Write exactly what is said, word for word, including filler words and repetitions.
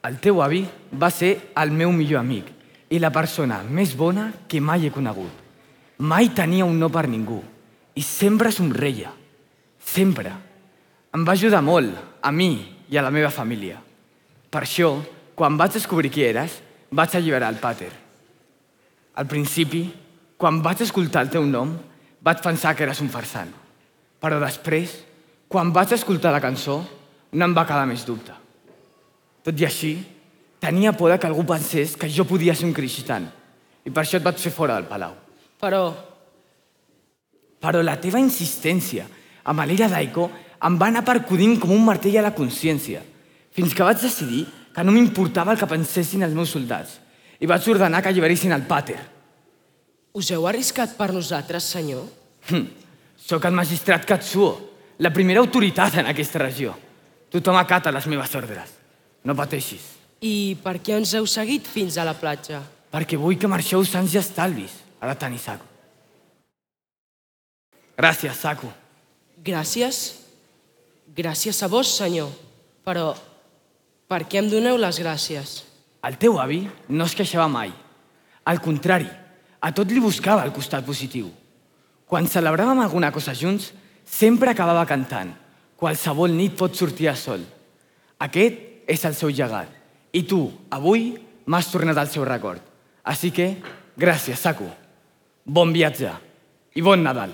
El teu avi va ser el meu millor amic i la persona més bona que mai he conegut. Mai tenia un no per ningú i sempre somreia. Sempre. Em va ajudar molt, a mi i a la meva família. Per això, quan vaig descobrir qui eres, vaig alliberar el pàter. Al principi, quan vaig escoltar el teu nom, vaig pensar que eres un farsant. Però després, quan vaig escoltar la cançó, no em va quedar més dubte. Tot i així, tenia por que algú pensés que jo podia ser un cristian i per això et vaig fer fora del palau. Però... Però la teva insistència amb l'era d'Aiko em va anar percudint com un martell a la consciència, fins que vaig decidir que no m'importava el que pensessin els meus soldats i vaig ordenar que alliberessin el pàter. Us heu arriscat per nosaltres, senyor? Hm. Soc el magistrat Katsuo, la primera autoritat en aquesta regió. Tothom acata les meves ordres. No pateixis. I per què ens heu seguit fins a la platja? Perquè vull que marxeu sants i estalvis, ara tant i Saku. Gràcies, Saku. Gràcies? Gràcies a vos, senyor. Però per què em doneu les gràcies? El teu avi no es queixava mai. Al contrari, a tot li buscava el costat positiu. Quan celebràvem alguna cosa junts, sempre acabava cantant. Qualsevol nit pot sortir a sol. Aquest és el seu llegat. I tu, avui, m'has tornat al seu record. Així que, gràcies, Saku. Bon viatge i bon Nadal.